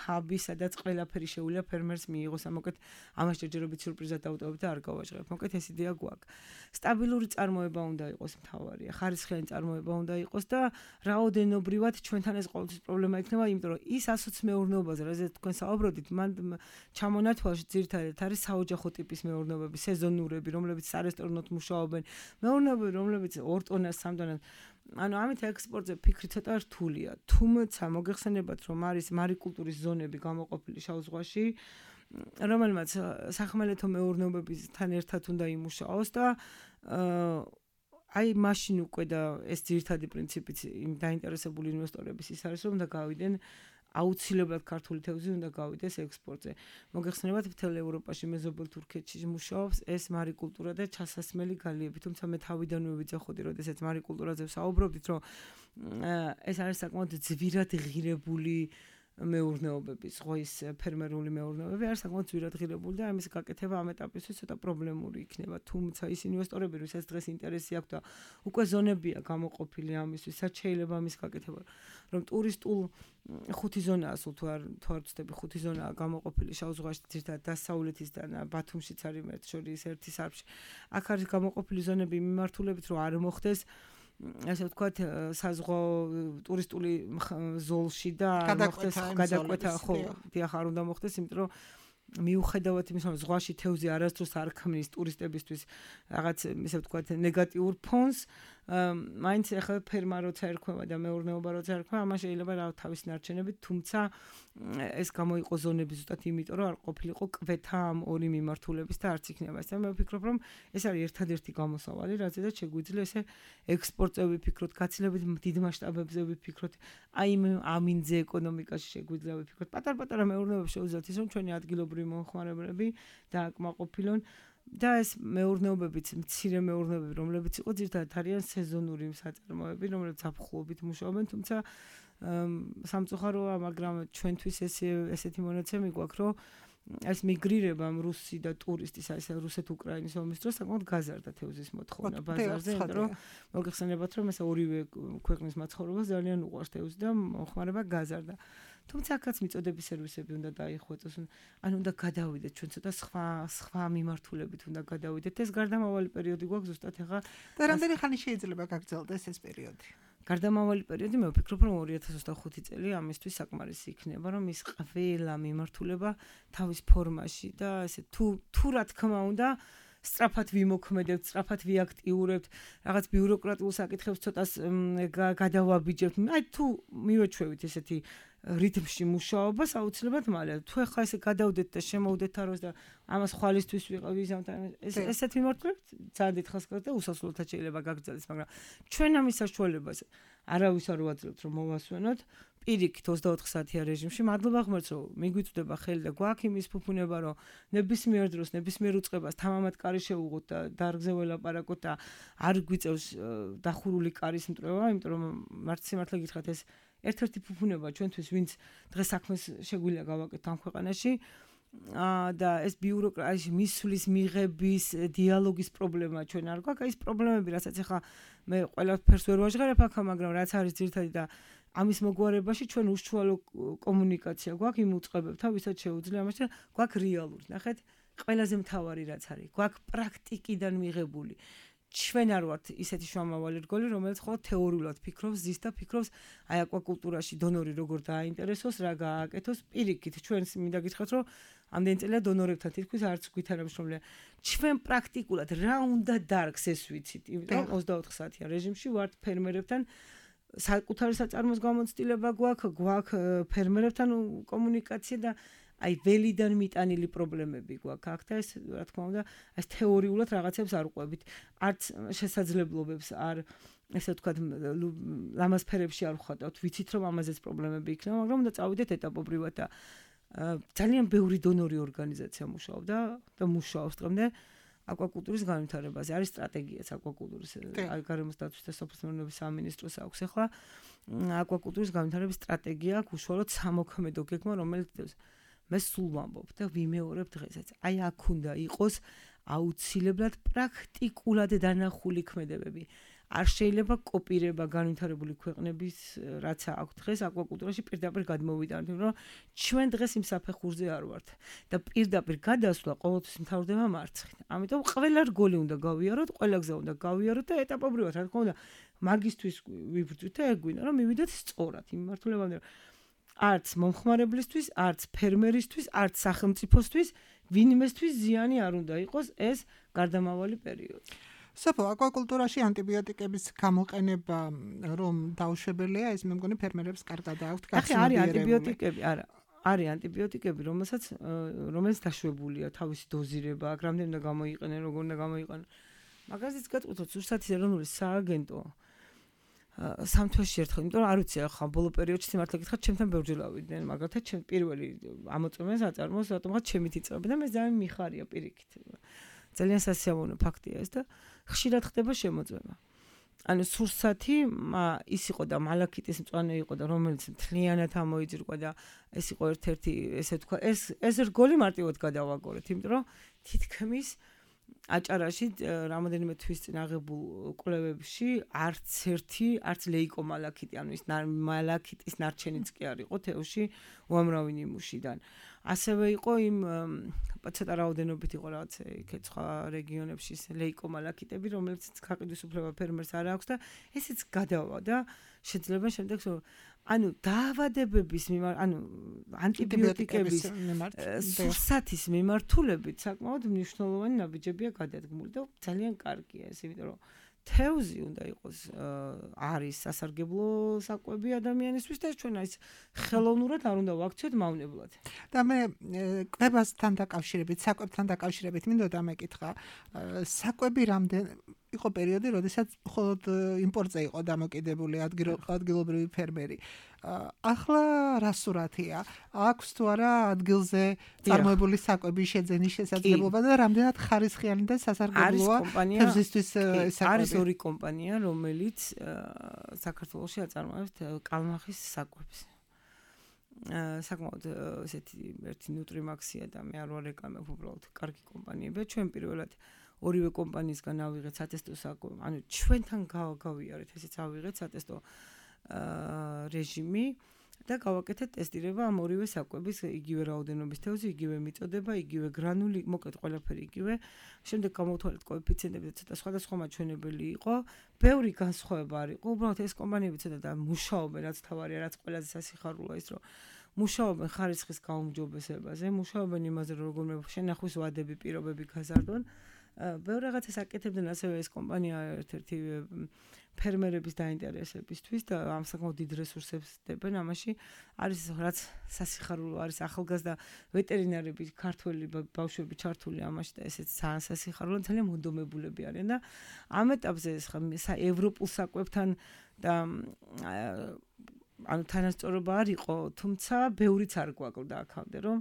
Speaker 4: ჰაბი, სადაც ყველაფერი შეუძლია ფერმერს მიიღოს. ამოკეთ ამას ჯერჯერობით სიურპრიზად დავუტოვებ და არ გავაჟღერებ. მოკეთ ეს იდეა გვაქვს. სტაბილური წარმოება უნდა იყოს მთავარია, ხარისხიანი წარმოება უნდა იყოს და რაოდენობრივად ჩვენთან ეს ყოველთვის პრობლემა იქნება, იმიტომ რომ ის ასოც მეურნეობაზე, რაზეც თქვენ საუბრობდით, მან ჩამონათვალში ძირითადად არის საოჯახო ტიპის მეურნეობები, სეზონურები, რომლებიც სარესტორნოდ მუშაობენ, მეურნეობები, რომლებიც ორ ტონას, სამ ტონას. ანუ ამით ექსპორტზე ფიქრი ცოტა რთულია. თუმცა მოგეხსენებათ, რომ არის მარიკულტურის ზონები გამოყოფილი შავ ზღვაში, რომელმაც სახმელეთო მეურნეობებთან ერთად უნდა იმუშაოს და აი მაშინ უკვე და ეს ძირითადი პრინციპიც იმ დაინტერესებული ინვესტორების ის არის, რომ უნდა გავიდნენ აუცილებლად ქართული თევზი უნდა გავიდეს ექსპორტზე. მოგეხსენებათ, მთელ ევროპაში, მეზობელ თურქეთში მუშაობს ეს მარიკულტურა და ჩასასმელი გალიები. თუმცა მე თავიდანვე ვიძახოდი, როდესაც მარიკულტურაზე ვსაუბრობდით, რომ ეს არის საკმაოდ ძვირად ღირებული მეურნეობები, ზღვის ფერმერული მეურნეობები არის საკმაოდ ძვირად ღირებული და ამის გაკეთება ამ ეტაპისთვის ცოტა პრობლემური იქნება. თუმცა ის ინვესტორები, ვისაც დღეს ინტერესი აქვს და უკვე ზონებია გამოყოფილი ამისთვის, რაც შეიძლება ამის გაკეთება, რომ ტურისტულ ხუთი ზონაა, სულ თუ არ თუ არ ვცდები, ხუთი ზონაა გამოყოფილი შავ ზღვაში, ძირითადად დასავლეთისგან, ბათუმშიც არის ერთ შორის ერთი სარფში. აქ არის გამოყოფილი ზონები მიმართულებით, რომ არ მოხდეს ასე ვთქვათ, საზღვაო ტურისტული ზოლში და არ მოხდეს გადაკვეთა, ხო, დიახ, არ უნდა მოხდეს, იმიტომ რომ მიუხედავად იმისა, რომ ზღვაში თევზი არასდროს არ ქმნის ტურისტებისთვის რაღაც, ესე ვთქვათ, ნეგატიურ ფონს, მაინც ახლა ფერმა როცა ერქვება და მეურნეობა როცა ერქვება, ამას შეიძლება რა თავის ნარჩენებით, თუმცა ეს გამოიყო ზონები ზუსტად იმიტომ, რომ არ ყოფილიყო კვეთა ამ ორი მიმართულების და არც იქნება ეს. მე ვფიქრობ, რომ ეს არის ერთადერთი გამოსავალი, რაზედაც შეგვიძლია ესე ექსპორტზე ვიფიქროთ, გაცილებით დიდ მასშტაბებზე ვიფიქროთ, აი ამინძე ეკონომიკაში შეგვიძლია ვიფიქროთ. პატარ-პატარა მეურნეობები შეუძლიათ ის, რომ ჩვენი ადგილობრივი მომხმარებლები დააკმაყოფილონ და ეს მეურნეობებიც, მცირე მეურნეობები, რომლებიც იყო ძირითადად არიან სეზონური საწარმოები, რომლებიც აფხულობით მუშაობენ, თუმცა სამწუხაროა, მაგრამ ჩვენთვის ეს ესეთი მონაცემი გვაქვს, რომ ეს მიგრირება რუსი და ტურისტის აი ეს რუსეთ-უკრაინის ომის დროს საკმაოდ გაზარდა თევზის მოთხოვნა ბაზარზე, იმიტომ რომ მოგეხსენებათ რომ ეს ორივე ქვეყნის მაცხოვრებელს ძალიან უყვარს თევზი და მოხმარება გაზარდა. თუმცა აქაც მიწოდების სერვისები უნდა დაიხვეწოს, ანუ უნდა გადავიდეთ ჩვენ ცოტა სხვა სხვა მიმართულებით უნდა გადავიდეთ. ეს გარდამავალი პერიოდი გვაქვს ზუსტად ახლა
Speaker 3: და რამდენი ხანი შეიძლება გაგრძელდეს ეს პერიოდი?
Speaker 4: გარდამავალი პერიოდი მე ვფიქრობ რომ ორი ათას ოცდახუთი წელი ამისთვის საკმარისი იქნება რომ ის ყველა მიმართულება თავის ფორმაში და ესე თუ თუ რა თქმა უნდა სწრაფად ვიმოქმედებთ, სწრაფად ვიაქტიურებთ, რაღაც ბიუროკრატიულ საკითხებს ცოტას გადავაბიჯებთ. აი თუ მივეჩვევით ესეთი რიტმში მუშაობას აუცილებლად მალე თუ ახლა ესე გადავდეთ და შემოვდეთ აროს და ამას ხვალისთვის ვიზამთ ეს ესეთ მიმართულებით ძალიან დიდხანს გაგრძელდა და უსასრულოდ შეიძლება გაგრძელდეს, მაგრამ ჩვენ ამის საშუალებას არავის არ ვაძლევთ რომ მოვასვენოთ პირიქით ოცდაოთხ საათიან რეჟიმში. მადლობა ღმერთს რომ მიგვიწვდება ხელი და გვაქვს იმის ფუფუნება რომ ნებისმიერ დროს ნებისმიერ უწყებას თამამად კარი შევუღოთ და დარგზე ველაპარაკოთ და არ გვიწევს დახურული კარის მტრევა, იმიტომ რომ მართ სიმართლე გითხრათ ეს ერთ-ერთი ფუფუნება ჩვენთვის ვინც დღეს საქმეს შეგვიძლია გავაკეთოთ ამ ქვეყანაში და ეს ბიუროკრატიის მისვლის მიღების დიალოგის პრობლემა ჩვენ არ გვაქვს. ეს პრობლემები რასაც ახლა მე ყველაფერს ვერ ვაჟღერებ აქ, მაგრამ რაც არის ძირითადი და ამის მოგვარებაში ჩვენ უშუალო კომუნიკაცია გვაქვს იმ უწყებებთან, ვისაც შეუძლია ამაში გვაქვს რეალური. ნახეთ, ყველაზე მთავარი რაც არის, გვაქვს პრაქტიკიდან მიღებული. ჩვენ არ ვართ ისეთი შუამავალი რგოლი, რომელიც ხოლმე თეორიულად ფიქრობს, ზის და ფიქრობს აი აკვაკულტურაში დონორი როგორ დააინტერესოს, რა გააკეთოს. პირიქით, ჩვენს მინდა გითხრათ, რომ ამდენი წელია დონორებთან თითქოს არც გვითანამშრომლია. ჩვენ პრაქტიკულად რა უნდა დარგს ეს ვიცით, იმიტომ რომ ოცდაოთხ საათიან რეჟიმში ვართ ფერმერებთან საკუთარი საწარმოს გამოცდილება გვაქვს, გვაქვს ფერმერებთან კომუნიკაცია და აი ველიდან მიტანილი პრობლემები გვაქვს აქ და ეს რა თქმა უნდა ეს თეორიულად რაღაცებს არ უყვებით. არც შესაძლებლობებს არ ესე ვთქვათ ლამაზ ფერებში არ ვხატავთ. ვიცით რომ ამაზეც პრობლემები იქნება, მაგრამ უნდა წავიდეთ ეტაპობრივად და ძალიან ბევრი დონორი ორგანიზაცია მუშაობდა და მუშაობს დღემდე აკვაკულტურის განვითარებაზე. არის სტრატეგიაც აკვაკულტურის გარემოს დაცვის და სოფლის სამინისტროს აქვს ახლა აკვაკულტურის განვითარების სტრატეგია აქვს უშუალოდ სამოქმედო გეგმა, რომელიც მე სულ ვამბობ და ვიმეორებ დღესაც. აი აქ უნდა იყოს აუცილებლად პრაქტიკულად დანახული ქმედებები. არ შეიძლება კოპირება განვითარებული ქვეყნების რაც აქვს დღეს აკვაკულტურაში პირდაპირ გადმოვიტანოთ, რომ ჩვენ დღეს იმ საფეხურზე არ ვართ და პირდაპირ გადასვლა ყოველთვის მთავრდება მარცხით. ამიტომ ყველა რგოლი უნდა გავიაროთ, ყველა გზა უნდა გავიაროთ და ეტაპობრივად რა თქმა უნდა მაგისთვის ვიბრძვით და ეგ გვინდა რომ მივიდეთ სწორად იმ მიმართულებამდე. არც მომხმარებლისთვის, არც ფერმერისთვის, არც სახელმწიფოსთვის, ვინმესთვის ზიანი არ უნდა იყოს ეს გარდამავალი პერიოდი.
Speaker 3: სოფო, აკვაკულტურაში ანტიბიოტიკების გამოყენება რომ დაუშვებელია, ეს მე მგონი ფერმერებს კარგად აქვთ
Speaker 4: გახსნილი. არის ანტიბიოტიკები, არა. არის ანტიბიოტიკები, რომელსაც რომელიც დაშვებულია თავისი დოზირება, აქ რამდენი უნდა გამოიყენონ, როგორ უნდა გამოიყენონ. მაგაზეც გეტყვით, ზუსტად ეროვნული სააგენტო სამ თვეში ერთხელ, იმიტომ რომ არ ვიცი ახლა ბოლო პერიოდში სიმართლე გითხრათ, ჩემთან ბევრჯერ ავიდნენ, მაგალითად ჩემ პირველი ამოწმეს აწარმოს, რატომღაც ჩემით იწევენ და მე ძალიან მიხარია პირიქით. ძალიან სასიამოვნო ფაქტია ეს და ხშირად ხდება შემოწმება. ანუ სურსათი ის იყო და მალაქიტის მწვანე იყო და რომელიც მთლიანად ამოიძრყვა და ეს იყო ერთ-ერთი ესე თქვა ეს ეს რგოლი მარტივად გადავაგორეთ, იმიტომ რომ თითქმის აჭარაში რამოდენიმე თვის წინ აღებულ კვლევებში არც ერთი არც ლეიკომალაქიტი, ანუ ის მალაქიტის ნარჩენიც კი არ იყო თევში უამრავი ნიმუშიდან. ასევე იყო იმ ცოტა რაოდენობით იყო რაღაც იქეთ სხვა რეგიონებში ლეიკომალაქიტები, რომელიც გაყიდვის უფლება ფერმერს არ აქვს და ესეც გადავა და შეძლება შემდეგ ანუ დაავადებების მიმართ, ანუ ანტიბიოტიკების სურსათის მიმართულებით საკმაოდ მნიშვნელოვანი ნაბიჯებია გადადგმული და ძალიან კარგია ეს, იმიტომ რომ თევზი უნდა იყოს არის სასარგებლო საკვები ადამიანისთვის და ჩვენ ის ხელოვნურად არ უნდა ვაქციოთ მავნებლად.
Speaker 3: და მე კვებასთან დაკავშირებით, საკვებთან დაკავშირებით მინდოდა მეკითხა, საკვები რამდენ იყო პერიოდი, როდესაც მხოლოდ იმპორტზე იყო დამოკიდებული ადგილობრივი ფერმერი. ახლა რა სურათია? აქვს თუ არა ადგილზე წარმოებული საკვების შეძენის შესაძლებლობა და რამდენად ხარისხიანი და სასარგებლოა თევზისთვის საკვები?
Speaker 4: არის ორი კომპანია, რომელიც საქართველოში აწარმოებს კალმახის საკვებს. საკმაოდ ესეთი ერთი ნუტრიმაქსია და მე არ ვარ რეკლამებ, უბრალოდ კარგი კომპანიებია. ჩვენ პირველად ორივე კომპანიისგან ავიღეთ სატესტო საკუთრ, ანუ ჩვენთან გავიარეთ, ესეც ავიღეთ სატესტო რეჟიმი და გავაკეთეთ ტესტირება ამ ორივე საკვების იგივე რაოდენობის თევზი, იგივე მიწოდება, იგივე გრანული, მოკლედ ყველაფერი იგივე. შემდეგ გამოვთვალეთ კოეფიციენტები და ცოტა სხვადასხვა მაჩვენებელი იყო. ბევრი განსხვავება არ იყო. უბრალოდ ეს კომპანიები ცოტა და მუშაობენ, რაც თავარია, რაც ყველაზე სასიხარულოა ის, რომ მუშაობენ ხარისხის გაუმჯობესებაზე, მუშაობენ იმაზე, რომ როგორმე შენახვის ვადები, პირობები გაზარდონ. ბევრ რაღაცას აკეთებდნენ ასევე ეს კომპანია ერთ-ერთი ფერმერების დაინტერესებისთვის და ამ საკმაოდ დიდ რესურსებს დებენ ამაში. არის რაც სასიხარულო არის ახალგაზრდა ვეტერინარები, ქართველი ბავშვები ჩართული ამაში და ესეც ძალიან სასიხარულო, ძალიან მონდომებულები არიან და ამ ეტაპზე ხა ევროპულ საკვებთან და ანუ თანასწორობა არ იყო, თუმცა ბევრიც არ გვაკლდა აქამდე, რომ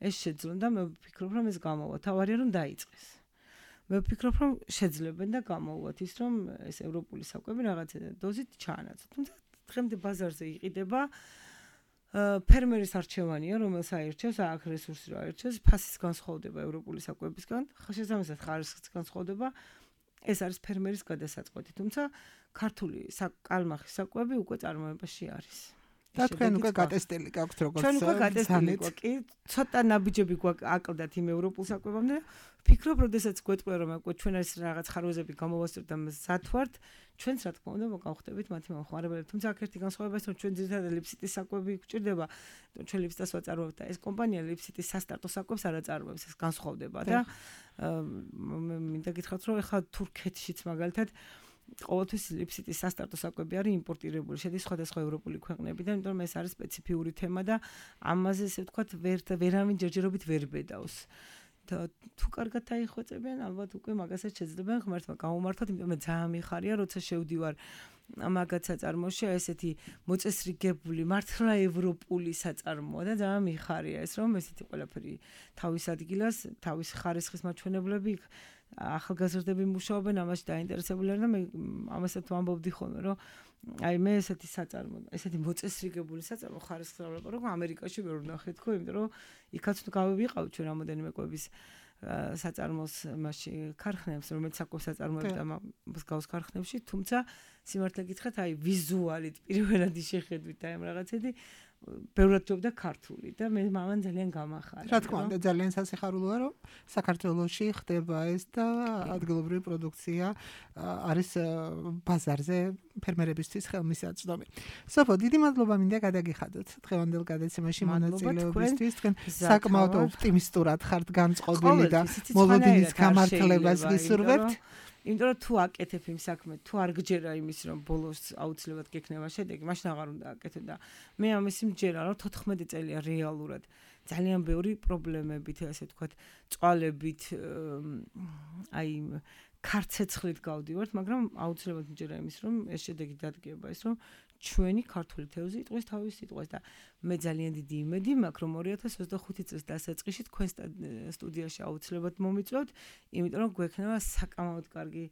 Speaker 4: ეს შეძლონ და მე ვფიქრობ, რომ ეს გამოვა. თავარია რომ დაიწყეს. მე ვფიქრობ, რომ შეძლებენ და გამოვუვათ ის, რომ ეს ევროპული საკვები რაღაცა დოზით ჩაანაცვლოთ. თუმცა დღემდე ბაზარზე იყიდება ფერმერის არჩევანია, რომელს აირჩევს, აქ რესურსი რა აირჩევს, ფასის განსხვავდება ევროპული საკვებისგან, შესაბამისად ხარისხის განსხვავდება. ეს არის ფერმერის გადასაწყვეტი, თუმცა ქართული კალმახის საკვები უკვე წარმოებაში არის.
Speaker 3: და თქვენ უკვე გატესტილი გაქვთ როგორც
Speaker 4: ჩვენ უკვე გატესტილი გვაქვს, კი, ცოტა ნაბიჯები გვაქვს აკლდათ იმ ევროპულ საკვებამდე. ვფიქრობ, როდესაც გვეტყვია, რომ უკვე ჩვენ ეს რაღაც ხარვეზები გამოვასწრებთ და მზად ვართ, ჩვენც რა თქმა უნდა მოგავხდებით მათი მომხმარებლები. თუმცა აქ ერთი განსხვავება ის, რომ ჩვენ ძირითადად ლიფსიტის საკვები გვჭირდება, ჩვენ ლიფსიტას ვაწარმოებთ და ეს კომპანია ლიფსიტის სასტარტო საკვებს არ აწარმოებს, ეს განსხვავდება და მინდა გითხრათ, რომ ეხლა თურქეთშიც მაგალითად ყოველთვის ლიფსიტის სასტარტო საკვები არის იმპორტირებული, შედის სხვადასხვა ევროპული ქვეყნებიდან, იმიტომ რომ ეს არის სპეციფიური თემა და ამაზე ესე ვთქვათ, ვერ ვერავინ ჯერჯერობით ვერ ბედავს. და თუ კარგად დაიხვეწებიან, ალბათ უკვე მაგასაც შეძლებენ ღმერთმა გამომართოთ, იმიტომ მე ძალიან მიხარია, როცა შევდივარ მაგათ საწარმოში, ესეთი მოწესრიგებული, მართლა ევროპული საწარმოა და ძალიან მიხარია ეს, რომ ესეთი ყველაფერი თავის ადგილას, თავის ხარისხის მაჩვენებლები ახალგაზრდები მუშაობენ, ამაში დაინტერესებული არიან და მე ამასაც ვამბობდი ხოლმე, რომ აი მე ესეთი საწარმო, ესეთი მოწესრიგებული საწარმო ხარისხს ვლაპარაკობ, რომ ამერიკაში ვერ ვნახე თქო, იმიტომ რომ იქაც თუ გავიყავით ჩვენ რამოდენიმე კვების საწარმოს მასში ქარხნებს, რომელიც საკვებს აწარმოებს და მსგავს ქარხნებში, თუმცა სიმართლე გითხრათ, აი ვიზუალით პირველად შეხედვით და ამ რაღაცები ბევრად ჯობდა ქართული და მე მამან ძალიან გამახარა.
Speaker 3: რა თქმა უნდა, ძალიან სასიხარულოა, რომ საქართველოში ხდება ეს და ადგილობრივი პროდუქცია არის ბაზარზე ფერმერებისთვის ხელმისაწვდომი. სოფო, დიდი მადლობა მინდა გადაგიხადოთ დღევანდელ გადაცემაში მონაწილეობისთვის. თქვენ საკმაოდ ოპტიმისტურად ხართ განწყობილი და მოლოდინის გამართლებას გისურვებთ. იმიტომ რომ თუ აკეთებ იმ საქმე, თუ არ გჯერა იმის, რომ ბოლოს აუცილებლად გექნება შედეგი, მაშინ აღარ უნდა აკეთო და მე ამისი მჯერა, რომ თოთხმეტი წელია რეალურად ძალიან ბევრი პრობლემებით, ასე ვთქვათ, წვალებით, აი ქარცეცხლით გავდივართ, მაგრამ აუცილებლად მჯერა იმის, რომ ეს შედეგი დადგება, ის რომ ჩვენი ქართული თევზი იტყვის თავის სიტყვას და მე ძალიან დიდი იმედი მაქვს, რომ ორი ათას ოცდახუთი წლის დასაწყისში თქვენ სტუდიაში აუცილებლად მომიწვევთ, იმიტომ რომ გვექნება საკამოდ კარგი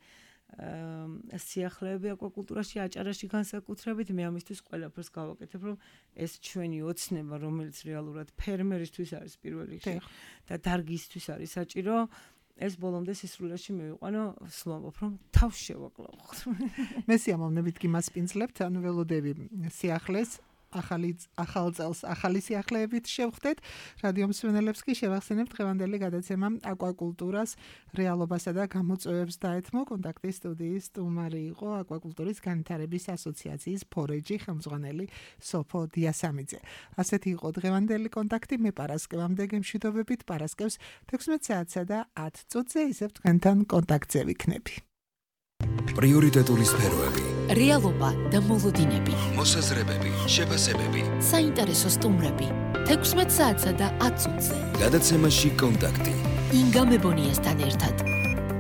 Speaker 3: სიახლეები აკვაკულტურაში, აჭარაში განსაკუთრებით. მე ამისთვის ყველაფერს გავაკეთებ, რომ ეს ჩვენი ოცნება, რომელიც რეალურად ფერმერისთვის არის პირველ რიგში და დარგისთვის არის საჭირო, ეს ბოლომდე სისრულეში მივიყვანო, ვსვამობ, რომ თავს შევაკლავ. მე სიამოვნებით გიმასპინძლებთ, ანუ ველოდები სიახლეს, ახალი ახალ წელს ახალი სიახლეებით შევხვდეთ. რადიო მსმენელებს კი შევახსენებთ დღევანდელი გადაცემა აკვაკულტურას რეალობასა და გამოწვევებს დაეთმო. კონტაქტის სტუდიის სტუმარი იყო აკვაკულტურის განვითარების ასოციაციის ფორეჯი ხელმძღვანელი სოფო დიასამიძე. ასეთი იყო დღევანდელი კონტაქტი. მე პარასკევამდე გემშვიდობებით, პარასკევს თექვსმეტ საათსა და ათ წუთზე ისევ თქვენთან კონტაქტზე ვიქნები.
Speaker 1: პრიორიტეტული სფეროები,
Speaker 2: რეალობა და მოლოდინები,
Speaker 1: მოსაზრებები, შეფასებები,
Speaker 2: საინტერესო სტუმრები, თექვსმეტ საათსა და ათ წუთზე.
Speaker 1: გადაცემაში კონტაქტი.
Speaker 2: ინგა მებონიასთან ერთად.